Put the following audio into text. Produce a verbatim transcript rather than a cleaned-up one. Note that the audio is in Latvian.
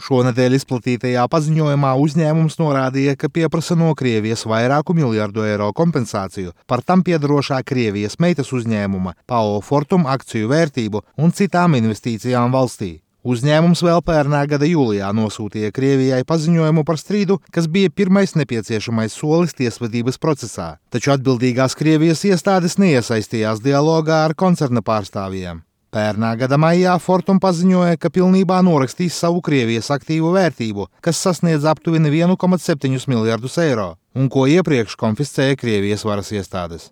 Šonedēļ izplatītajā paziņojumā uzņēmums norādīja, ka pieprasa no Krievijas vairāku miljardu eiro kompensāciju par tam piedarošā Krievijas meitas uzņēmuma P A O Fortum akciju vērtību un citām investīcijām valstī. Uzņēmums vēl pērnā gada jūlijā nosūtīja Krievijai paziņojumu par strīdu, kas bija pirmais nepieciešamais solis tiesvedības procesā, taču atbildīgās Krievijas iestādes neiesaistījās dialogā ar koncerna pārstāvjiem. Pērnā gada maijā Fortum paziņoja, ka pilnībā norakstīs savu Krievijas aktīvu vērtību, kas sasniedz aptuveni vienu komatu septiņus miljardus eiro, un ko iepriekš konfiscēja Krievijas varas iestādes.